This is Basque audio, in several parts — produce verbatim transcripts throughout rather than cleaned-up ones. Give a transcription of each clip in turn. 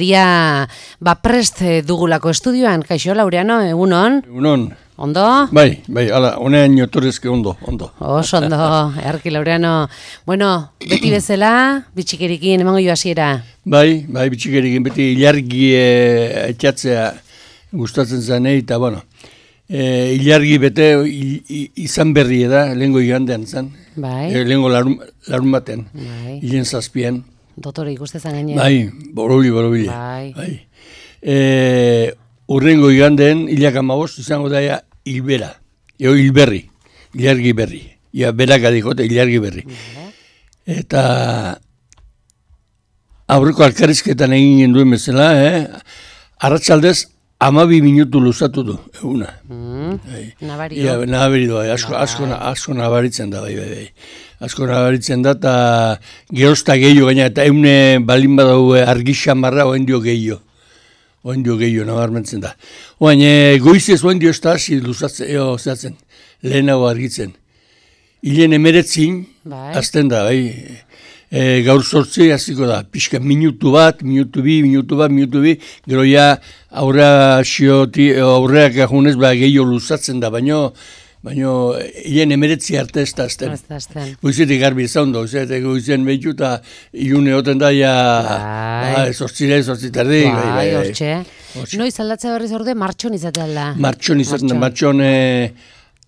Dia, ba, prest dugulako estudioan, kaixo, Laureano, egunon? Egunon. Ondo? Bai, bai, ala, honean jotorezke ondo, ondo. Oso ondo, erki, Laureano. Bueno, beti bezala, bitxikerikin, emango jo hasiera. Bai, bai, bitxikerikin, beti ilargi e, etxatzea gustatzen zanei, eta, bueno, e, ilargi bete i, i, izan berri da, lehengo igandean zen. Bai. E, lehengo larun, larun baten, Bai. hilen zazpian. Dotore ikustezan gaine. Bai, borobili, borobili. Bai. Bai. E, urrengo igandeen, hilak amabost, izango daia hilbera. Eo hilberri, ilargi berri. Ia beraka dikote, ilargi berri. Bai. Eta aurreko alkarrizketan egin duen bezala, eh? Arratsaldez amabi minutu luzatu du, eguna. Mm. Bai. Nabario. Ia, nabari doa, asko, asko, asko nabaritzen da, bai, bai, bai. Asko nabaritzen da, eta gerozta gehiago gaina, eta eune balin badau argixan marra, oen dio gehiago. Oen dio gehiago, nabarmentzen da. Oain, e, goizez oen dio ez da, hasi luzatzen, eo, zehatzen, lehenago argitzen. Hilen emeretzin, Bai. azten da, bai. E, gaur sortzi hasiko da, pixka minutu bat, minutu bi, minutu bat, minutu bi, gero ja aurrea xioti, aurreak ajunez, ba, gehiago luzatzen da, baino, baino, hilen emeretzi arte ez da azten. Ez da azten. Goizetik garbi zaundo, goizetik goizen behitu eta ilune hoten da, ja, Bai. ba, sortzire, sortzitardi, Bai, bai, bai, bai. hortxe. Hortxe. Noiz aldatzea berriz orde, martxon izatea da. Martxon izaten da, Martxon. martxon e,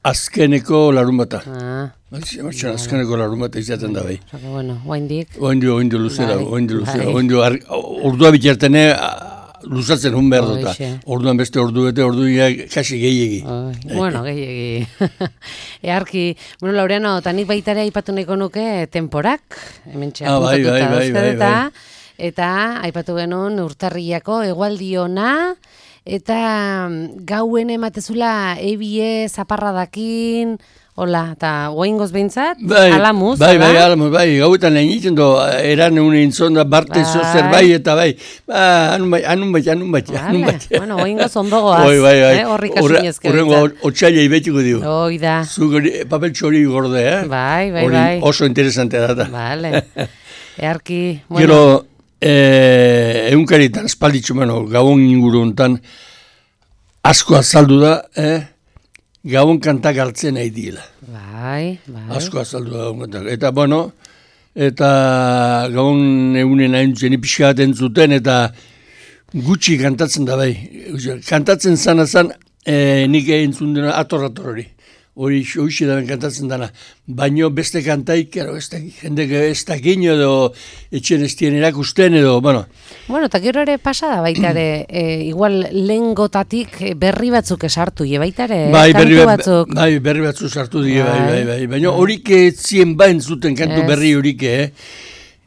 azkeneko larun bata. Ah, Martxon azkeneko larun bata izaten da, bai. oso que bueno, oaindik. Oindio, oindio luzera, Bai, oindio luzera, bai. oindio, ar- ordua bitartene luzatzen hun behar dut. Hoixe. Orduan beste ordu bete, ordu ja kasi gehiegi. Ai, bueno, gehiegi. Earki, bueno, Laureano, eta nik baitare aipatu nahiko nuke temporak, hementxe Ah, bai, apuntatuta bai, bai, dauzkat bai, eta, bai. eta aipatu genuen urtarrilako egualdiona, eta gauen ematezula ebie zaparradakin, hola, eta oaingoz behintzat, Bai, alamuz, bai, hala? bai, alamuz, bai, gauetan egiten do, eran egun intzonda, barte Bai. zozer bai, eta bai, ba, anun bai, anun bai, anun bai, anun Vale, bai. bueno, oaingoz ondogoaz, Bai, bai, bai. eh, horrik Horre- asinezke Horrengo otxaila ibetiko dio. Hoi da, Zuk hori, papel txori gorde, eh? bai, bai, Hori bai. oso interesante data. Vale, earki, bueno, Gero, eh, egunkaritan, espalditxu, bueno, gabon inguru hontan, asko azaldu da, eh? Gabon kantak hartzen nahi diela. bai, bai. Asko azaldu da gabon kantak. Eta, bueno, eta gabon egunen haintzen pixka bat entzuten, eta gutxi kantatzen da bai. Kantatzen zana zan, eh, nik entzun dena ator-ator hori. Hori hoxe da kantatzen dana. Baino beste kantaik, ero, ez da, jendek ez da gino edo etxen ez dien erakusten edo, bueno. Bueno, eta gero ere pasada baita ere, e, igual lengotatik berri batzuk esartu, je baita ere, Bai, kantu berri, bat- batzuk. bai, berri batzuk sartu die, bai, Bai. bai, bai. Baina horik ez zien bain zuten kantu Ez. berri horik, eh?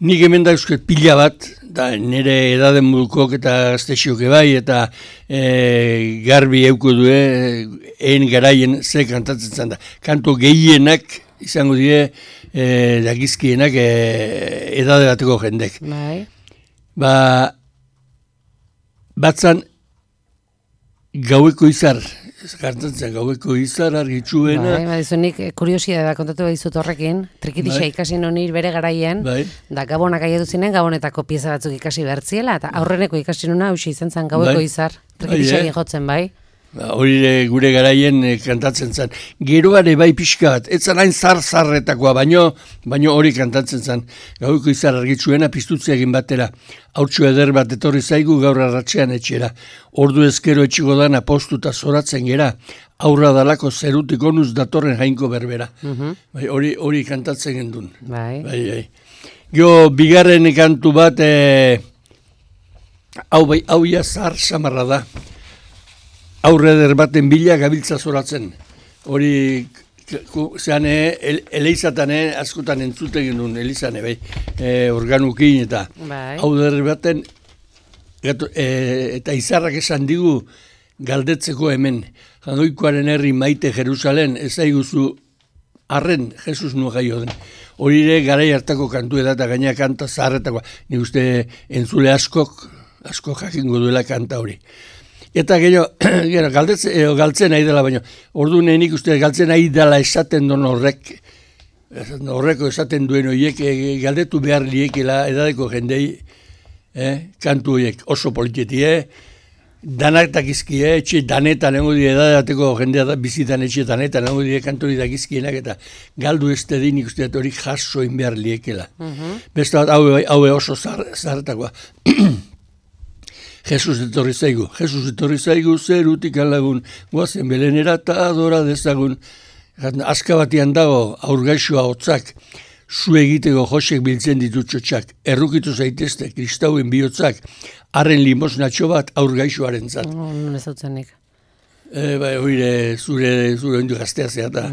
Nik hemen da eusket pila bat, da nire edaden mudukok eta gaztexioke bai, eta e, garbi euko du, egin garaien ze kantatzen zen da. Kanto gehienak izango die, e, dagizkienak e, edade bateko jendek. Bai, Ba, batzan gaueko izar, kantatzen gaueko izar argitxuena, bai, badizu nik kuriosidadea kontatu badizut horrekin, trikitixa Bai. ikasi nonir bere garaien, bai. da gabonak aietu zinen, gabonetako pieza batzuk ikasi bertziela, eta aurreneko ikasi nuna hausia izan zen gaueko Bai. izar, Bai, trikitixari eh? jotzen, bai. Ba, hori ere gure garaien eh, kantatzen zen. Geroare bai pixka bat, ez zan hain zar-zarretakoa, baino, baino hori kantatzen zen. Gaueko izar argitzuena piztutze egin batera. Hautsu eder bat etorri zaigu gaur arratsean etxera. Ordu ezkero etxiko dana postuta zoratzen gera. Aurra dalako zerutik onuz datorren jainko berbera. Mhm. Bai, hori hori kantatzen gendun. Bai, Bai, bai. Gio, bigarren kantu bat, eh, hau bai, hau ja zar samarra da. Aurre eder baten bila gabiltza zoratzen. Hori, zean, el, eleizatan askotan entzuten genuen, elizane, bai, e, organukin eta bai. hau eder baten, gato, e, eta izarrak esan digu galdetzeko hemen, Jadoikoaren herri maite Jerusalen, ez aiguzu arren Jesus nua gaio den. Hori ere garai hartako kantu da eta gaina kanta zaharretakoa. Ni uste entzule askok, asko jakingo duela kanta hori. Eta gero, gero galdetze, eh, galtzen nahi dela, baina ordu nik uste galtzen nahi dela esaten don horrek, horreko esaten duen horiek, eh, galdetu behar liekela edadeko jendei, eh? Kantu horiek oso politetie, danak dakizkie, etxe danetan nengo die edadateko jendea da, bizitan etxe danetan nengo die kantu hori dakizkienak, eta galdu ez tedin ikusteat hori jaso inbehar liekela. Uh-huh. Beste bat, haue, haue oso zaharretakoa. Jesus etorri zaigu, Jesus etorri zaigu, zerutik alagun, guazen belenera eta adora dezagun. Azka batian dago, aurgaixoa hotzak, zu egiteko josek biltzen ditu txotxak, errukitu zaitezte, kristauen bihotzak, harren limosnatxo bat aurgaixoaren zat. Oh, non ez hautzenik. E, bai, hori zure, zure ondu gaztea zeata.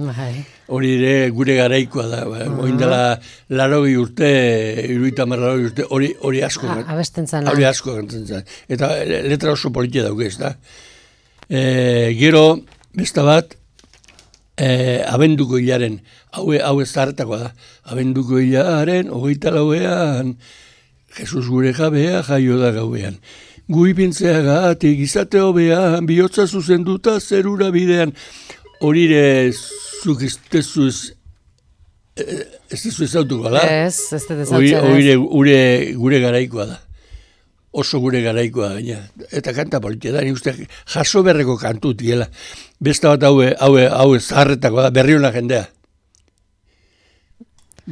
Hori ere gure garaikoa da. Bai. Uh-huh. Oindela larogi urte, iruita marlarogi urte, hori, hori asko. Ah, abesten zan. Hori asko gantzen zan. Eta letra oso politia dauke ez da. E, gero, besta bat, e, abenduko hilaren, haue, haue zarretakoa da. Abenduko hilaren, hogeita lauean, Jesus gure jabea jaio da gauean. Guipintzeagatik izate hobean, bihotza zuzenduta zerura bidean. Horire zuk ez tezuz, ez tezu ezautuko, da? Ez, ez tezu ezautzen. Horire gure, gure garaikoa da. Oso gure garaikoa gaina. Eta kanta politia da, ni uste jaso berreko kantu tiela. Besta bat haue, haue, haue zaharretako da, berriona jendea.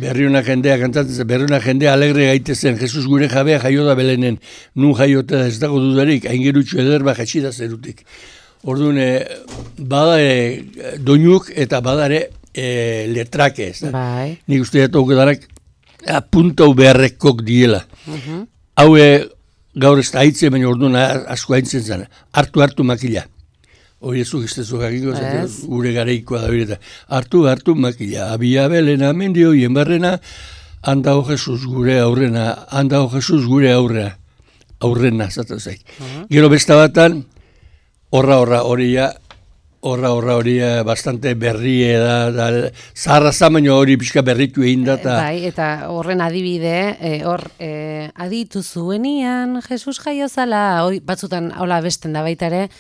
Berriuna jendea kantatzen, berriuna jendea alegre gaitezen, Jesus gure jabea jaio da Belenen, nun jaiota ez dago dudarik, aingerutxu ederba jatsida zerutik. Orduan, badare doinuk eta badare e, letrake ez da. Bai. Nik uste dut darak puntau beharrekok diela. Uh-huh. Haue gaur ez da haitze, baina orduan asko haintzen zen, hartu-hartu makila. Hori ez ugiztezu jakiko, gure gareikoa da hori eta hartu, hartu makila, abia belena, mendi horien barrena, handago Jesus gure aurrena, handago Jesus gure aurrena, aurrena, zaten zaik. Uh-huh. Gero besta batan, horra, horra, horia, horra, horra, horia, bastante berrie da, da zaharra zamaino hori pixka berritu egin da. Ta... Bai, eta horren adibide, e, hor, e, aditu zuenian, Jesus jaio zala, hori batzutan hola besten da baita ere,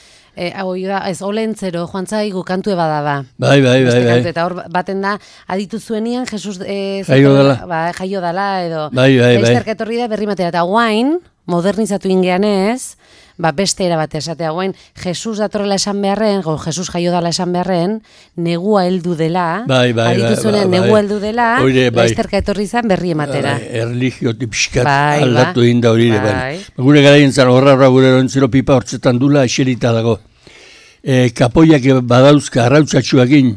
E, hau da, ez olentzero, joan zaigu kantu eba da ba. Bai, bai, bai, bai. Eta hor baten da, aditu zuenian, Jesus e, jaio dala. Ba, jaio dala, edo. Bai, bai, bai. Laizterka etorri da berri matera. Eta guain, modernizatu ingean ez, ba, beste erabate esatea guain, Jesus datorrela esan beharren, go, Jesus jaio dala esan beharren, negua heldu dela, bai, bai, aditu zuenean, bai, bai, negua heldu dela, bai. laizterka etorri zan berri ematera. Bai, erligio tipskat bai, aldatu egin da hori. Bai. Bai. Gure garaien zan, horra horra gure erontzero pipa hortzetan dula eserita dago. E, kapoiak badauzka arrautzatxuakin,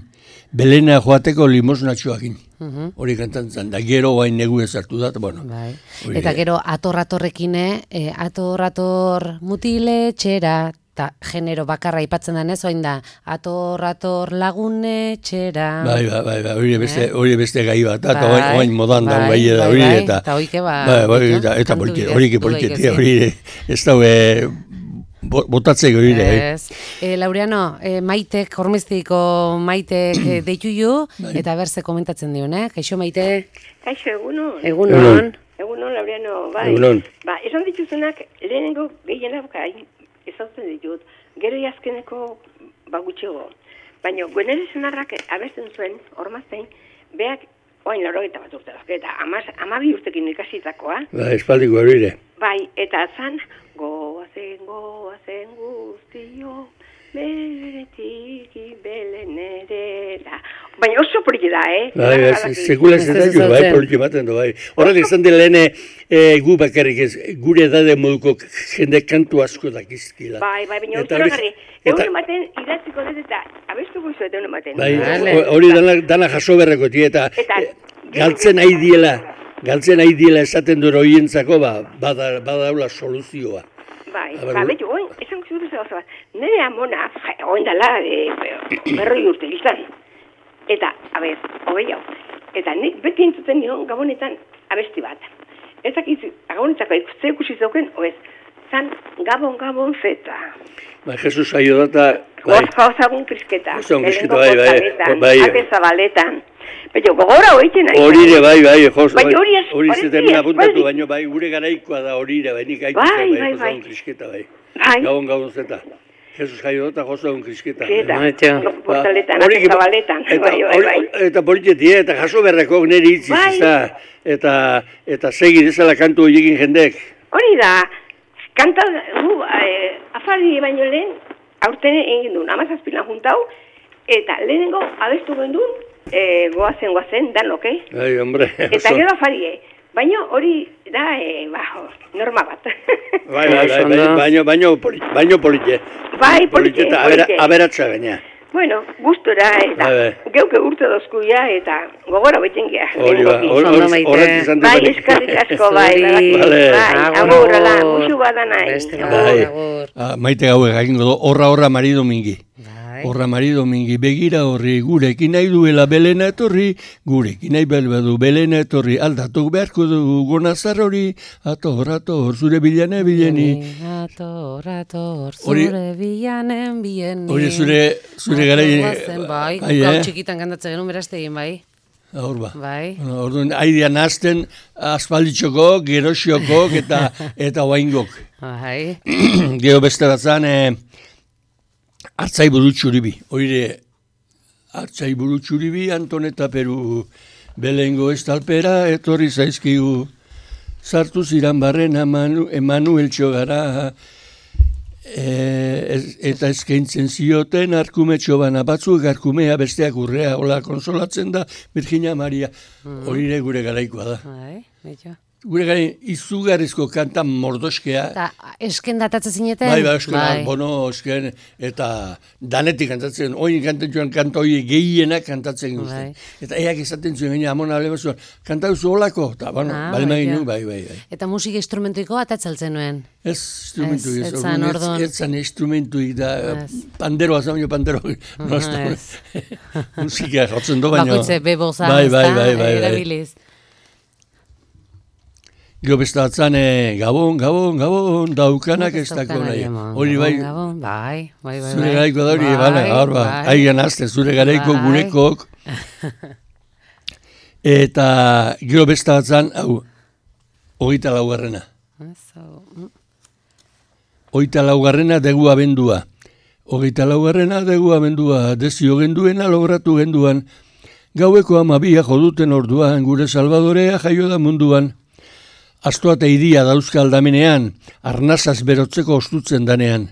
Belena joateko limosnatxuakin. Uh-huh. Hori kantantzan, da gero guain negu ezartu dat, bueno. Bai. Eta gero ator-atorrekine, e, ator-ator mutile txera, eta genero bakarra aipatzen denez, oain da, ator-ator lagune txera. Bai, bai, bai, bai, hori beste, hori beste gai bat, eta bai, oain modan da, bai, bai, hori, bai, eta... Eta hoike ba... Bai, bai, eta, eta politi, hori ke politi, hori ez da, botatzeko hori. Ez. E, Laureano, e, Maitek, Hormeztiko Maitek e, deitu ju, bai. Eta berze komentatzen dion, eh? Kaixo Maite? Kaixo, egunon. Egunon. Egunon, Laureano, bai. Egunon. Ba, esan dituzunak, lehenengo gehienak ezautzen ditut, gero jazkeneko bagutxego. Baina, Guenere senarrak abesten zuen, hormaztein, beak, oain laurogeta bat urte dazke, eta amabi urtekin ikasitakoa. Ba, espaldiko hori ere. Bai, eta zan, goazen, goazen guztio, beretik belenera. Baina oso poliki da, eh? Bai, bai, sekula ez da jo, bai, poliki baten du, bai. Horrek izan dela lehene gu bakarrik ez, gure edade moduko jende kantu asko dakizkila. Bai, bai, baina hori garri, egun ematen idatziko dut eta abestu goizu eta egun ematen. Bai, hori dana jaso berreko tie eta galtzen nahi diela. Galtzen nahi diela esaten duen horientzako, ba, badaula soluzioa. Bai, ba, betu, oin, esan guztu dut bat, nire amona, oin dala, berroi urte izan. Eta, a ber, hogei hau, eta nik beti entzuten nion gabonetan abesti bat. Ezak izi, gabonetzako ikuste ikusi zauken, oez, zan gabon, gabon, zeta. Ba, Jesus aio data, bai. Ozagun krisketa. Ozagun krisketa, bai, bai, bai. Ate zabaletan. Baina, gogora hoitzen nahi. Horire, bai, bai, jos, bai. Hori ez, hori zetemena apuntatu, baina, bai, gure garaikoa da horire, bai, nik aikutza, bai, bai, ozagun krisketa, bai. Bai. Gabon, gabon, zeta. Jesus jaio data, ozagun krisketa. Zeta, portaletan, ate zabaletan, bai, bai, bai. Eta politietie, eta jaso berrekok nire hitziz, eta, eta segi dezala kantu horiekin jendek. hori da, kanta, gu, eh, afari baino lehen, aurten egin duen, amazazpilan juntau, eta lehenengo abestu gendun, eh, goazen, goazen, danok, eh? Ai, hombre. Eta gero afarie, baino hori da, eh, ba, norma bat. Bai, bai, bai, bai, baino, baino, poli, baino polite. Bai, polite, eta polite. aberatza gaina. Bueno, gustora, eta Bai, bai. geuke urte dozkuia, eta gogora beten gea. Hori ba, horret izan dut. Bai, eskarrik asko, bai, bai, Vale. bai, agur, ala, musu bada nahi. Beste Agur. Bai. agur. Ah, maite gauek egingo du, horra horra mari domingi. Bai. Horra mari domingi, begira horri, gurekin nahi duela belena etorri, gurekin nahi belbadu belena etorri, aldatuk beharko dugu gonazar hori, ator, ator, zure bilane bileni. Ator, ator, Hori- zure bilanen bieni. Hori zure, zure gara... Bai, bai, gau eh? txikitan kantatzen genuen berazte egin, bai. Hor ba. Bai. Bueno, orduan, aidean azten aspalditxoko, gerosioko eta eta oaingok. Bai. Gero beste batzan, eh, hartzai burutxuribi. Oire, hartzai burutxuribi, Anton eta Peru belengo estalpera, etorri zaizkigu. Sartu ziran barren Emanu, Emanuel txogara, e, ez, eta eskaintzen zioten arkumetxo bana batzuk, arkumea besteak urrea, hola konsolatzen da, Virginia Maria. Horire gure garaikoa da. Bai, betxo. Gure garen izugarrizko kanta mordoskea. Eta esken datatzen zineten? Bai, bai, esken, bono, esken, eta danetik kantatzen, oin kantatzen kanta hori gehienak kantatzen guztien. Bai. Eta eak esaten zuen, gaina amona aleba zuen, kanta duzu holako, eta, bueno, Ah, bale bai, magin ja. nu, bai, bai, bai. Eta musika instrumentuiko atatzaltzen nuen? Ez instrumentu, Ez, ez, ez orduan, zan, ez, orduan. ez zan instrumentuik da, Ez. panderoa zan, pandero, nozta, ez. musika jotzen do, baina. Bakoitze beboza, bai, bai, ezta? bai, bai, bai. Erabiliz. Gero bestatzen, eh, gabon, gabon, gabon, daukanak ez dako daukanak nahi. eman. Hori bai, Gabon, bai, bai, bai. zure bai. garaiko da hori, Bai, bale, hor ba, bai. aigan azte, zure garaiko Bai. gurekok. Eta gero bestatzen, hau, hogeita laugarrena. Eso, mm. Hogeita laugarrena degu abendua. Hogeita laugarrena degu abendua, dezio genduena logratu genduan. Gaueko amabia joduten orduan, gure salvadorea jaio da munduan. Astoa eta iria dauzka aldamenean, arnazaz berotzeko ostutzen danean.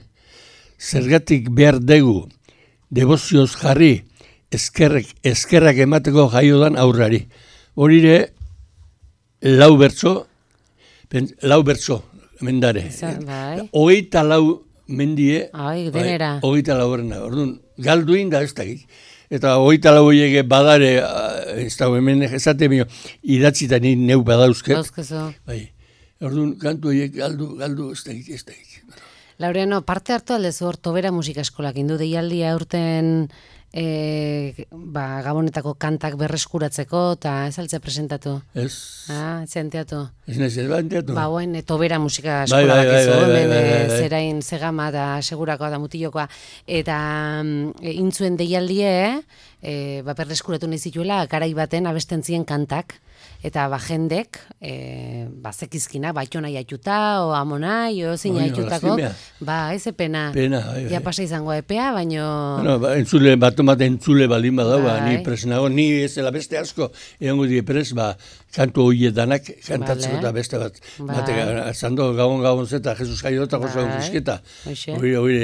Zergatik behar degu, debozioz jarri, eskerrek, eskerrak emateko jaiodan aurrari. Horire, lau bertso, pen, lau bertso, mendare. Izan, bai. Hogeita lau mendie, Ai, denera. bai, hogeita lau horrena. Orduan, galduin da ez dakik. Eta hogeita lau horiek badare, ez da hemen esate bio, idatzita ni neu badauzket. Dauzkezu. Bai, orduan, kantu horiek galdu, galdu ez dakik, ez dakik. Laureano, parte hartu aldezu hor Tobera musika eskolak indu deialdia urten e, ba, Gabonetako kantak berreskuratzeko eta ez altze presentatu. Ez, Ah, zenteatu. ez nahi zer banteatu. Ba, buen, e, Tobera musika Bai, eskola bai, bai, bakizu, bai, bai, hemen bai, e, bai. zerain zegama da segurakoa da mutilokoa. Eta mm, e, intzuen deialdie, e, ba, berreskuratu nahi zituela, garai baten abesten zien kantak. Eta ba, jendek, e, ba, zekizkina, baitona jaituta, o amonai, o zin Oi, jaitutako. lastimea. Ba, ez pena. Pena, bai, bai. Ja pasa izango epea, baino... Bueno, ba, entzule, bat bat entzule baldin badau, ba, Bai. ni pres nago, ni ez dela beste asko, egongo die pres, ba, kantu horiek danak kantatzeko Bale. eta beste bat. Bai. Batek, zando gabon gabon zeta, Jesus jaio eta goza Bai. guzkieta. Hoxe. Hori, hori,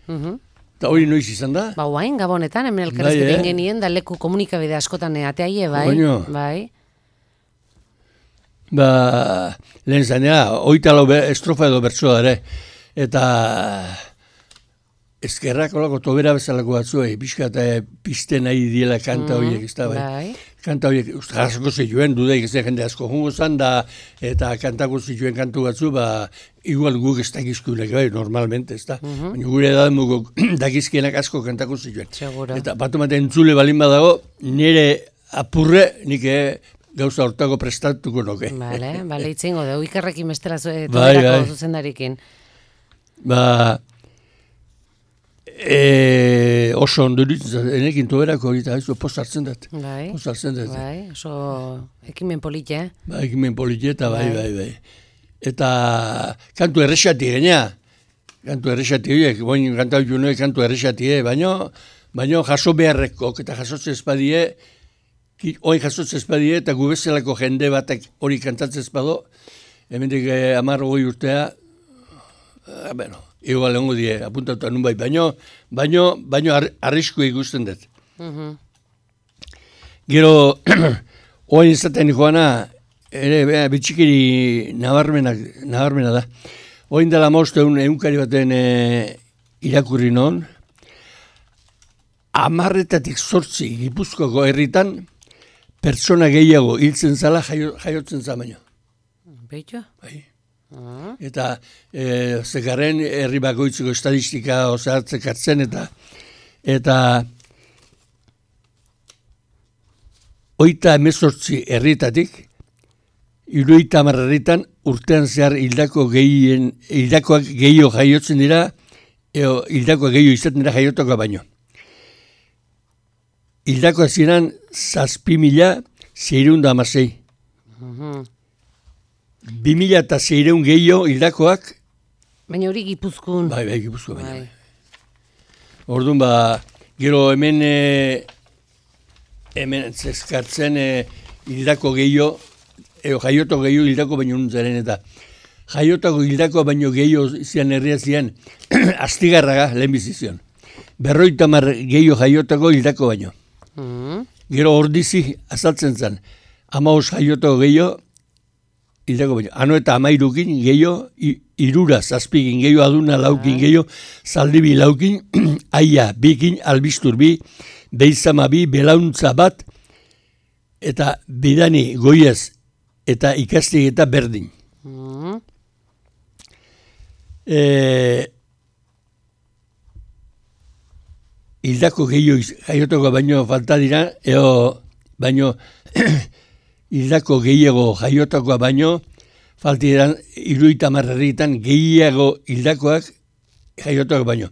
Mhm. eta hori noiz izan da? Ba, guain, Gabonetan, hemen elkarrezketa Bai, eh? egin genien, da leku komunikabide askotan ateaie, bai. Oino. Bai. Ba, lehen zanea, oita lau be- estrofa edo bertsoa ere. Eta eskerrak olako tobera bezalako batzuei, pixka eta pizte nahi diela kanta horiek, ez da, bai. Bai. Kanta horiek, uste, jasko zituen, dudaik ez da jende asko jungo zan da, eta kantako zituen kantu batzu, ba, igual guk ez dakizkunek, bai, normalmente, ez da. Baina gure edan mugok dakizkienak asko kantako zituen. Seguro. Eta bat ematen entzule balin badago, nire apurre, nik eh, gauza hortako prestatuko noke. Bale, bale, itzingo dugu, ikerrekin bestela zu, e, Bai, Toberako bai. zuzendarikin. Ba, e, oso ondo ditzen, enekin toberako hori, eta post hartzen dut. Bai, Post hartzen dut. bai, oso ekimen polite, eh? Ba, ekimen politieta, bai, Bai. bai, bai. Eta kantu errexati gaina, kantu errexati horiek, boin kantau junoek kantu errexati, eh? baino, baino jaso beharrekok, eta jasotze espadie, ki- oin jasotze espadie, eta gu bezalako jende batek hori kantatzen espado, hemendik eh, amar hogei urtea, eh, bueno, igual lengo die, apuntatu nun bai, baino, baino, baino ar, arrisku ikusten dut. Mhm. Gero, oain izaten joana, ere, bea, bitxikiri nabarmenak, nabarmena da. Oain dela mostu egun egunkari baten e, irakurri non, amarretatik zortzi Gipuzkoako herritan, pertsona gehiago hiltzen zala jaio, jaiotzen za baino. Beitu? Bai. Ah. Eta e, zekarren herri bakoitzeko estadistika osatzek hartzen eta eta oita emezortzi herrietatik, hirurogeita hamar herritan urtean zehar hildako gehien, hildakoak gehiago jaiotzen dira, eo hildakoak gehiago izaten dira jaiotoka baino. Hildakoak ziren zazpi mila zeireun da amasei. Mhm. Bi mila eta zeireun gehiago hildakoak, Baina hori Gipuzkoan. bai, bai, Gipuzkoa baina. Bai. Orduan ba, gero hemen e, hemen zeskartzen e, hildako gehiago, eo jaioto gehiago hildako baino nuntzaren eta jaiotako hildako baino gehiago zian herria zian astigarraga lehen bizizion. Berroita mar gehiago jaiotako hildako baino. Mhm. Gero ordizi azaltzen zen, amaos jaiotako gehiago hildako baino. Ano eta amairukin gehiago, i- irura zazpikin gehiago, aduna laukin gehiago, zaldibi laukin, aia bikin, albistur bi, beizama bi, belauntza bat, eta bidani goiez eta ikastik eta berdin. Mhm. E, hildako gehiago iz- jaiotako baino falta dira, eo baino hildako gehiago jaiotakoa baino falta dira hirurogeita hamar herritan gehiago hildakoak jaiotakoak baino.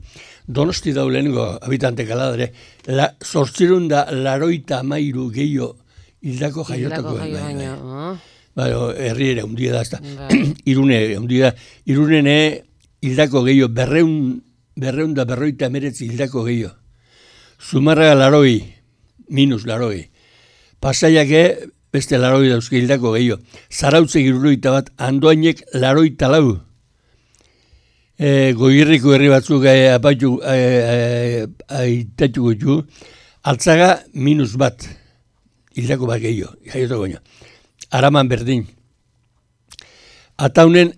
Donosti dau lehenengo habitante kaladare, la, zortzirun da laroita amairu gehiago hildako Hildako jaiotakoak. jaio bai, bai. baino. Ah. Bai, herri ere hundia da, ezta. Bai. Irune ere hundia da. Irunene hildako gehiago, berreun, berreun da berroita emeretzi hildako gehiago. Zumarraga laroi, minus laroi. Pasaiake beste laroi dauzke hildako gehiago. Zarautze giruroita bat, Andoainek laroita lau. E, goirriko herri batzuk e, apaitu, e, e, aitatuko ditu, altzaga minus bat. Hildako bat gehiago, jaiotako baino. Araman berdin. Ataunen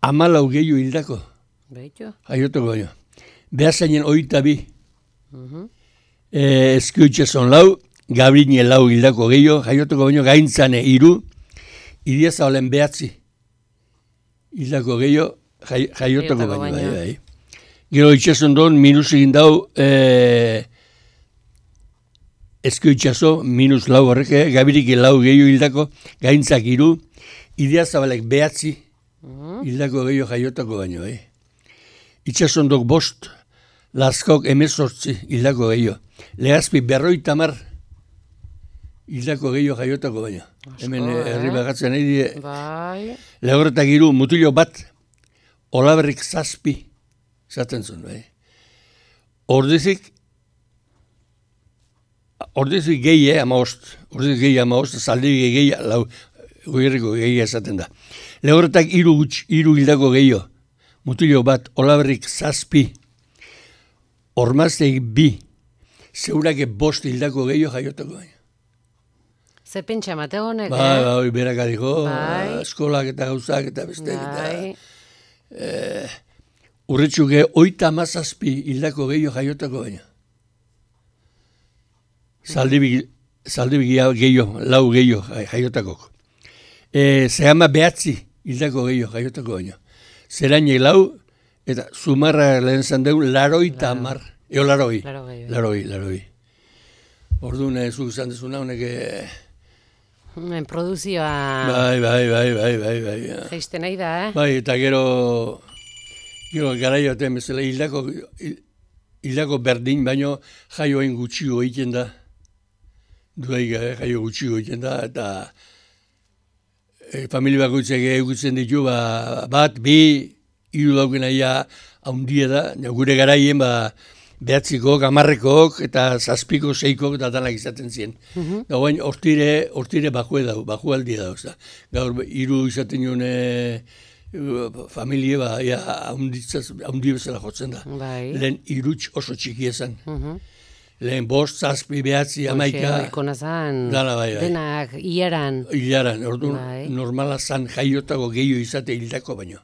amalau gehiago hildako, Beitu? jaiotako baino. Behazainen oita bi, Mhm. e, Eskioitxezon lau, Gabrine lau hildako gehiago, jaiotako baino gaintzane iru, Idiaza olen behatzi hildako gehiago, jai, jaiotako Jaiotako baino. Bai, baino. bai. Gero itxezon don, minus egin dau, e, Eskioitxazo, minus lau horrek, eh? Gabirik lau gehiago hildako, gaintzak iru, Idiazabalek behatzi Mhm. hildako gehiago jaiotako baino. Eh? Itxasondok bost, Lazkok emezortzi hildako gehiago. Lehazpi berroita mar hildako gehiago jaiotako baino. Hemen eh, eh? herri bagatzen nahi die, Bai. lehorretak iru mutilo bat, olaberrik zazpi, zaten zuen, bai. Ordizik, ordizik gehi, eh, amaost, ordizik gehi amaost, zaldibi gehi, lau, goierriko gehi esaten da. Lehorretak iru, gutx- iru hildako gehiago, mutilo bat, olaberrik zazpi, ormazteik bi, zeurake bost hildako gehiago jaiotako baino. Ze pentsa mate honek, Bai, eh? bai, berak adiko, Bai. eskolak eta gauzak eta besteak Bai. eta urretxuke oita amazazpi hildako gehiago jaiotako baina. Zaldibi, zaldibi gehiago, lau gehiago jai- jaiotako. E, Zehama behatzi hildako gehiago jaiotako baina. Zerainek lau, eta Zumarra lehen zandeun, laroita amar. Eo laroi. Laro gehiago. Laroi, laroi. Orduan, ez zuk izan dezuna, honek... eh, Hemen produzioa Bai, bai, bai, bai, bai, bai. ja. jaisten nahi da, eh? Bai, eta gero, gero garai batean bezala hildako, hil- hildako berdin, baino jaioen gutxigo egiten da. Duaik eh, jaio gutxigo egiten da, eta e, familia bakoitzak egutzen ditu, ba, bat, bi, hiru daukena ja haundia da, ja, gure garaien, ba, behatzikok, amarrekok, eta zazpiko, seikok, eta danak izaten ziren. Mhm. Da guain, hortire, hortire bakue dau, baku aldi dau, da. Gaur, hiru izaten joan e, familie, ba, ja, haundi bezala jotzen da. Bai. Lehen hiruts oso txiki esan. Mhm. Lehen bost, zazpi, behatzi, amaika. Ikona zan, Dana, bai, bai. denak, iaran. Hilaran, orduan, Bai. normala zan jaiotako gehiago izate hildako baino.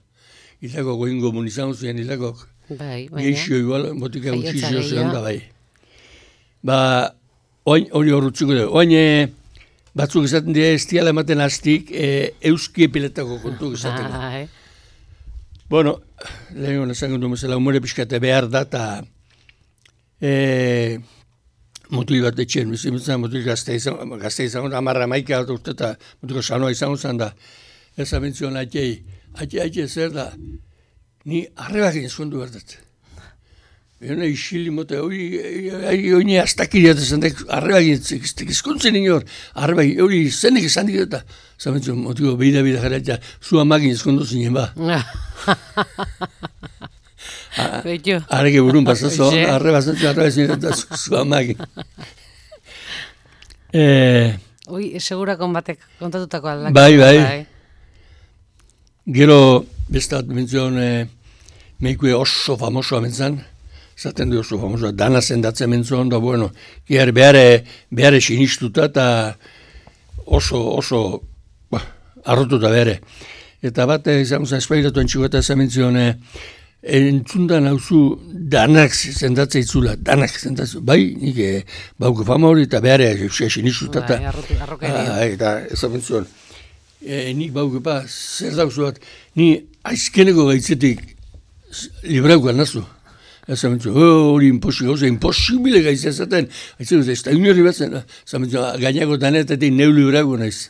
Hildako goingo munizango ziren hildakok. Bai, baina. Geixo igual, botika Jaiotza gutxi zio gehiago. da, bai. Ba, oin, hori horretzuko dugu. Oin, e, batzuk esaten dira ez diala ematen hastik e, euski epiletako kontu esateko. Bai. Bueno, lehen hona esango du mesela, umore pixkate behar da, eta e, mutil bat etxen, bizimutzen mutil gazte izango, gazte izango da, amarra maika bat urte, eta mutiko sanoa izango zen da, ez abentzioan atxei, atxe, atxe zer da, ni arrebak ezkondu berdat. Egon isili mote, hori hori astakiriat esan da, arrebak ezkontzen inor, arrebak hori zenek esan dik eta, zabentzioan mutiko beida beida jarratia, zu amagin ezkondu zinen ba. Betxo. Arreke burun pasazo, Oixe. arreba zentzu, arreba zentzu, eta zu, zu amagin. Eh, Ui, segurakon batek kontatutako aldak. Bai, bai. Gero, beste bat mentzion, e, meikue oso famosoa mentzan, zaten du oso famosoa, dana zendatzen mentzion, da bueno, giar behare, behare sinistuta eta oso, oso, ba, arrotuta behare. Eta bat, izan zen, espairatu antxiko eta esan mentzion, e, entzundan hauzu danak zendatzea itzula, danak zendatzea, bai, nik e, bauko fama hori eta behare sinistuta eta, Bai, arrotu- arrokeria. ah, eta esan mentzion, e, nik baukepa, zer dauzu bat, ni aizkeneko gaitzetik librauko nazu. Ez amentzu, hori imposi, gauza, imposibile gaitzea zaten. Aizu, ez da inorri batzen, zamentzu, gainako danetatik neu librauko naiz.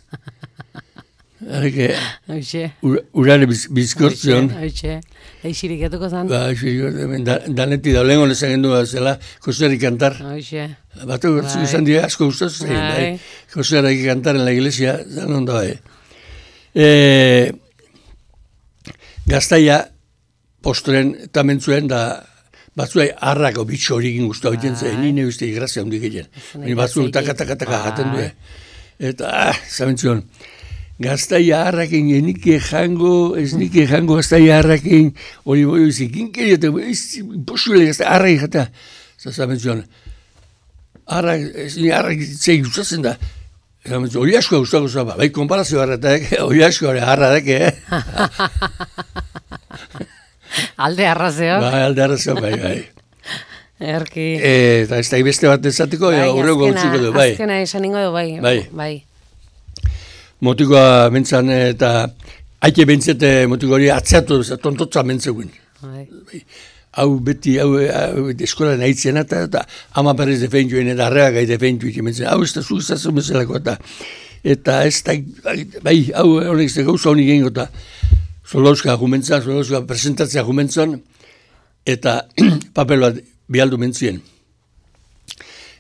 Arreke, Hoxe. urare biz, bizkortzion. Hoxe. Eixirik etuko zan. Ba, hemen da, danetik da, lehen honezak gendu zela, Joserri kantar. Hoxe. Batu batzuk Bai. izan dira asko gustatu zen, Bai. bai. Joserri kantar en la iglesia, zan ondo bai. E, Gaztaia postren eta mentzuen da batzuei harrako bitxo horikin guztu egiten zen, Bai. nire uste grazia handik egin. Zene Ni batzu gazteekin. taka-taka-taka jaten Bai. due. Eta, ah, zamentzion, gaztaia harrakin enike jango, ez nike jango gaztaia harrakin, hori boi izikin keri, eta ez imposible gaztaia harrakin jata. Zamentzion, harrak, ez ni harrak zei gustatzen da. Zamentzion, hori askoa gustako zaba, bai konparazio harratak, hori askoa harradak, eh? Alde arrazeo. Bai, alde arrazio, bai, bai. Erki. E, eta ez da beste bat ezateko, ja, horrego utziko du, bai. Azkena esan ingo du, bai. Bai. Bai. Motikoa mentzan eta haike bentzete motiko hori atzeatu, tontotza mentzeguen. Bai. Hau beti, hau, hau eskola nahitzen eta, eta ama berriz defendioen eta arreak gai defendioen mentzen. Hau ez da zu izazu bezalako eta, eta ez da, bai, hau honek ez da gauza honik egin gota. Zolauska jumentzan, Zolauska presentatzea jumentzan, eta papel bat bialdu mentzien.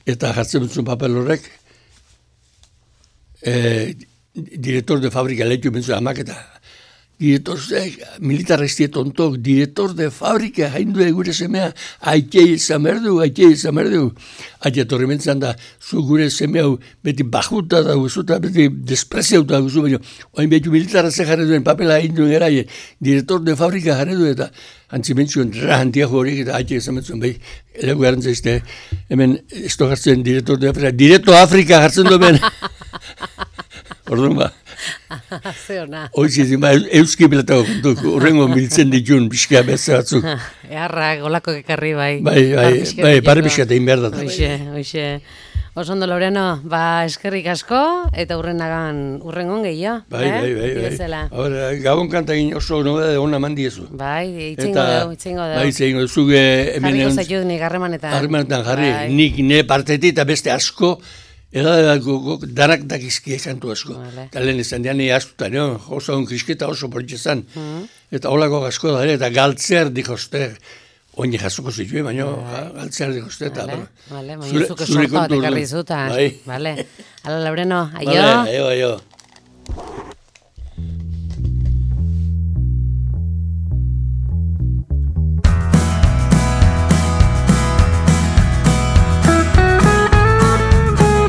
Eta jartzen mentzun papel horrek, e, director de fábrica lehitu mentzuen amak eta director, militar ez tontok, director de fábrica, haindu gure semea, aikei izan berdu, aikei izan berdu. Aite torri mentzan da, zu gure semea beti bajuta da guzuta, beti despreziauta da guzu, baina oain behitu militarra ze jarri duen papela haindu eraie, director de fábrica jarri du eta antzi mentzuen rahantiago horiek eta aite izan mentzuen behi, elegu garantza izte, hemen ez do jartzen director de Afrika, directo Afrika jartzen du ben. Orduan ba. Zeona. Hoiz izin, ba, euski pilatako kontuk, urrengo miltzen ditun, pixka beste batzuk. Eharrak, olako ekarri, bai. Bai, bai, bai, pare pixka egin behar da. Hoxe, hoxe. Oso ondo, Loreno, ba, eskerrik asko, eta urrenagan, urrengon gehiago. Bai, eh? bai, bai, Bezala. bai. Ahora, gabon kanta egin oso nobeda de ona mandiezu. Bai, itzingo dugu, itzingo dugu. Bai, itzingo dugu, zuge hemen... Jarriko zaitut nik harremanetan. Harremanetan jarri, Bai. nik ne partetik eta beste asko, edadako danak dakizkie kantu asko. Vale. Eta lehen izan dian nire astuta, no? Oso un krisketa oso politxezan. Mhm. Eta holako asko da ere, eta galtzer dikoste, oin jasoko zituen, baina galtzer dikoste. Eta, Vale, bueno, vale, baina zure- zuke zure sorta bat kontu ekarri orduan. zuta. Bai. Vale. Ala, Laureno, aio. Vale, aio, aio.